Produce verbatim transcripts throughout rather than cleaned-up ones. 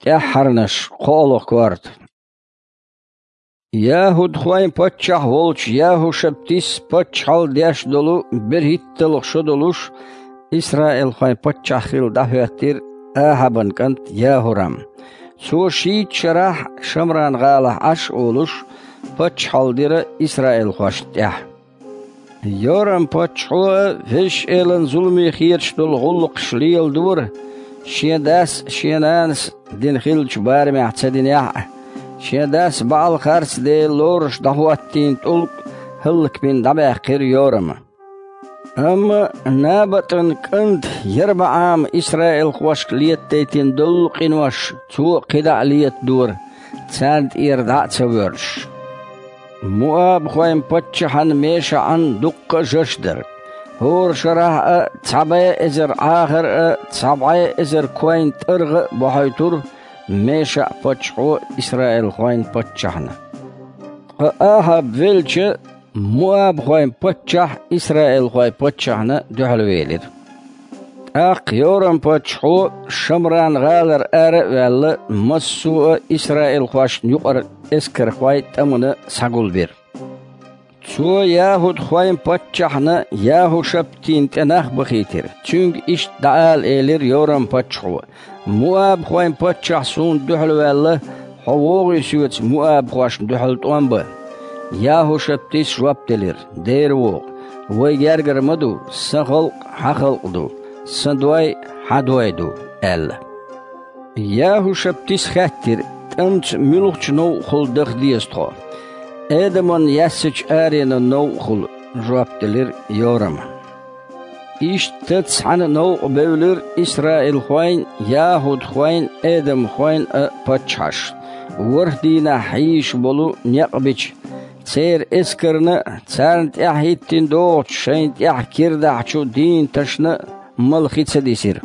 ТӀаьххьарнаш, кхоалгӀа корта. ЯхӀудхойн паччахь волчу ЯхӀушаптис паччахьалла деш долу берхӀитталгӀа шо долуш, исраилхойн паччахь хилла дӀахӀоьттира Ахьабан кӀант ЯхӀурам. Цо шийтта шарахь Шамран-гӀалахь Ӏаш а волуш, паччахьалла дира исраилхошна тӀехь. Йорам-паччахьо а Везачу Элана зуламе хеташ долу гӀуллакхаш леладора, шен дас а, шен нанас а дина хиллачу барамехь ца динехь а. Шен дас БаӀал-харцдела лоруш дӀахӀоттийна тӀулг хӀаллакбина дӀабаьккхира Йорама. Амма НабатӀан кӀанта ЯрбаӀама исраилхошка летадайтина долу къинош цо а кхидӀа а летадора, царна тӀера дӀа а ца воьрзуш. Муабхойн паччахьан МешаӀан дуккха а жаш дара. ХӀора шарахь а цхьа бӀе эзар Ӏахар а, цхьа бӀе эзар койн тӀаргӀа а бохьуьйтура МешаӀ-паччахьо исраилхойн паччахьна. Ткъа Ахьаб велча, муабхойн паччахь исраилхойн паччахьна дуьхьалвелира. ТӀаккха Йорам-паччахьо Шамран-гӀалара ара а ваьлла, массо а исраилхошна юкъара эскархой тӀамна схьагулбира. Цо яхӀудхойн паччахьна ЯхӀушаптина тӀе нах бахийтира. Цуьнга иштта дӀаала элира Йорам-паччахьо: «Муабхойн паччахь суна дуьхьалваьлла, хьо вогӀий соьца муабхошна дуьхьал тӀом бан?» ЯхӀушаптис жоп делира: «Дера вогӀу, вай гергара ма ду, сан халкъ хьан халкъ ду, сан дой хьан дой ду», – аьлла. ЯхӀушаптис хаьттира: «ТӀамца муьлхачу новкъахула даха деза тхо?» «Эдаман яьссачу аренан новкъахула», – жоп делира Йорама. Иштта цхьаьна новкъа бевлира исраилхойн, яхӀудхойн, эдамхойн а паччахьаш, ворхӀ дийнахь хьийзаш болу некъ бича, церан эскарна а, царна тӀаьхьахӀиттина догӀучу шайна тӀехь кира дахьачу дийнаташна а мала хи ца дисира.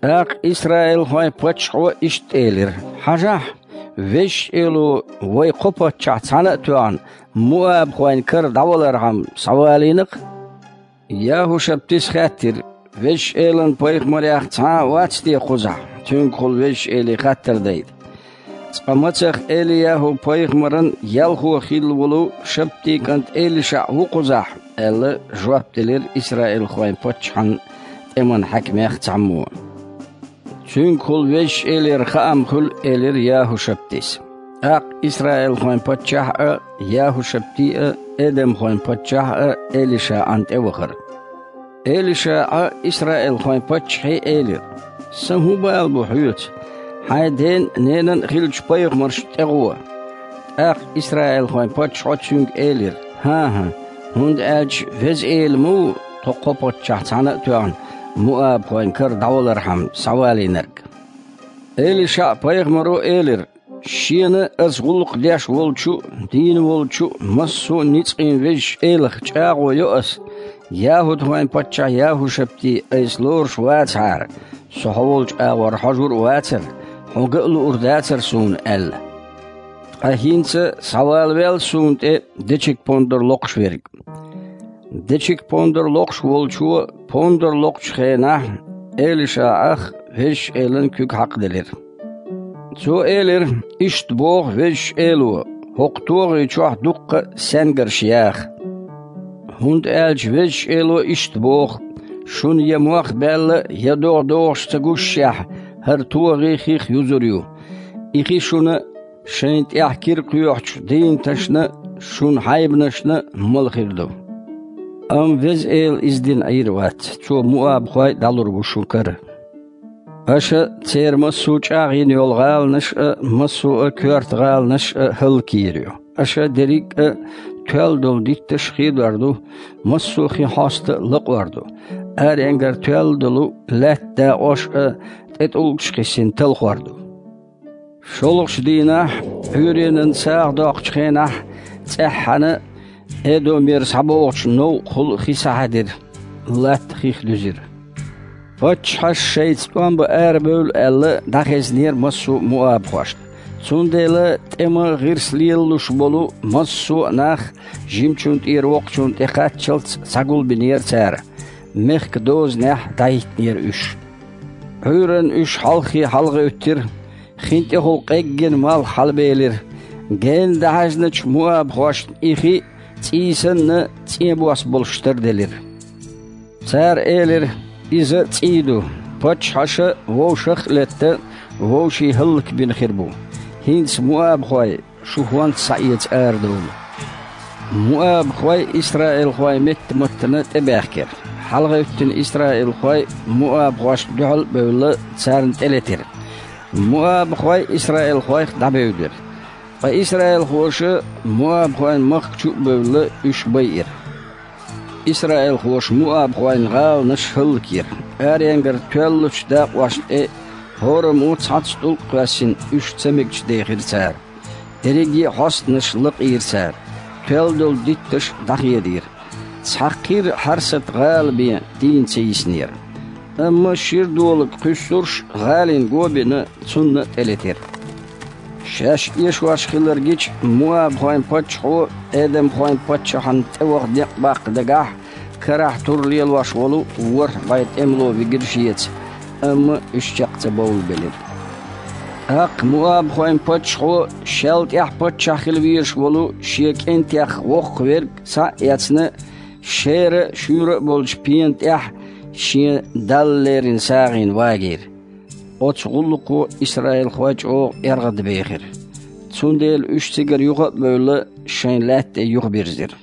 ТӀаккха исраилхойн паччахьо иштта элира: «Хьажахь, Везачу Эло вай кхо паччахь цхьаьна а тоьхна, муабхойн кара дӀавалархьама схьавалийна-кх». ЯхӀушаптис хаьттира: «Везачу Элан пайхамарех цхьа а вац те кхузахь, цуьнгахула Везачу Эле хаттар дайта?» «Цкъа мацах Эли-ЯхӀу-пайхамаран ялхо хилла волу Шаптин кӀант ЭлишаӀ ву кхузахь», – аьлла, жоп делира исраилхойн паччахьан тӀеман хьаькамех цхьаммо. «Цуьнгахула Везачу Элера хаам хуьлу», – элира ЯхӀушаптис. ТӀаккха исраилхойн паччахь а, ЯхӀушапти а, эдамхойн паччахь а ЭлишаӀан тӀе вахара. ЭлишаӀа исраилхойн паччахье элира: «Сан хӀун бала бу хьоьца? Хьайн ден а, ненан а хиллачу пайхамаршна тӀегӀо». ТӀаккха исраилхойн паччахьо цуьнга элира: «ХӀан-хӀа, хӀунда аьлча Веза Эла ма ву тхо кхо паччахь цхьаьна а тоьхна, муабхойн кара дӀавалархьама схьавалийнарг». ЭлишаӀ-пайхамаро элира: «Шена аса гӀуллакх деш волчу а, дийна волчу а, массо а ницкъийн Везачу Элах чӀагӀо йо аса: яхӀудхойн паччахь ЯхӀушапти айса лоруш вацахьара, со хьо волчу агӀор хьожур а вацара, хьо ган а луур дацара суна», – аьлла. «Ткъа хӀинца схьавалавел суна тӀе дечиг-пондар локхуш верг». Дечиг-пондар локхуш волчо пондар локхучу хенахь ЭлишаӀах Везачу Элан куьг хьакхаделира. Цо элира: «Иштта боху Везачу Эло: хӀокху тогӀи чохь дуккха а саьнгарш яха. ХӀунда аьлча Везачу Эло иштта боху: шуна я мох баьлла, я догӀа догӀуш ца гушшехь, хӀара тогӀи хих юзур ю. И хи шуна шайна тӀехь кира кхоьхьучу дийнаташна а, шун хьайбанашна а мала хир ду». Амма Веза Эла иза дина Ӏийр вац, Цо муабхой дӀалур бу шун кара. Аша церан массо а чӀагӀйина йолу гӀаланаш а, массо а коьрта гӀаланаш а хӀаллакйийр ю. Аша дерриг а тоьлла долу дитташ а хедор ду, массо а хин хьоста а лакъор ду. Аренгара тоьлла долу лаьтта дакъош а тӀетӀулгаш кхиссина талхор ду. ШолгӀачу дийнахь, Ӏуьйренан сагӀа доккхучу хенахь, цӀеххьана Эдомера схьабогӀучу новкъахула хи схьахьаьдира, латта хих дуьзира. Паччахьаш шайца тӀом бан арабевлла аьлла, дӀахезнера массо а муабхошна. Цундела тӀеман гӀирс лелалуш болу массо а нах жимачунна тӀера воккхачунна тӀекхаччалц схьагулбинера цара, мехкан дозанехь дӀахӀиттинера уьш. Ӏуьйранна уьш хьалххе хьалагӀевттира, Хин тӀехула къеггина малх хьалабелира. Генна дӀахьаьжначу муабахошна и хи цӀий санна, цӀен бос болуш тарделира. Цара элира: «Иза цӀий ду, паччахьаша вовшах а летта, вовшийн хӀаллакбина хир бу. ХӀинца муабахой шу хӀонца схьаэца арадовла». Муабахой исраилхойн меттаматтана тӀебаьхкира. ХьалагӀевттина исраилхой муабахошна дуьхьал а бевлла, царна тӀелетира. Муабахой исраилхойх дӀабевдира. Ткъа исраилхоша муабахойн махка чу а бевлла, уьш байира. Исраилхоша муабахойн гӀаланаш хӀаллакйира. Аренгара тоьллачу дакъошна тӀе хӀораммо цхьацца тӀулг а кхоьссина, уьш ца мегаш дехира цара. Дерриге а хьостанаш лакъийра цара. Тоьлла долу дитташ а дӀахедийра. Цхьа кхира хьарсат гӀала бен дийна ца йиснера. Амма шира долаг кхуьссурш гӀалин го а бина, цунна а тӀелетира. Шаьш эшош хилар гича, муабахойн паччахьо эдомхойн паччахьна тӀеваха некъ баккха дагахь, карахь тур лелош волу ворхӀ бӀе тӀемало вигира шеца, амма уьш чекх ца бовлабелира. ТӀаккха муабахойн паччахьо шел тӀаьхьа паччахь хила везаш волу шен кӀентех воккхаверг схьа а эцна, шера а, шуьйра а болчу пена тӀехь шен Далла леррина сагӀина вагийра. Оцу гӀуллакхо исраилхой чӀогӀа эргӀадбехира. Цундела уьш цигара юха а бевлла, шайн лаьтта тӀе юхабирзира.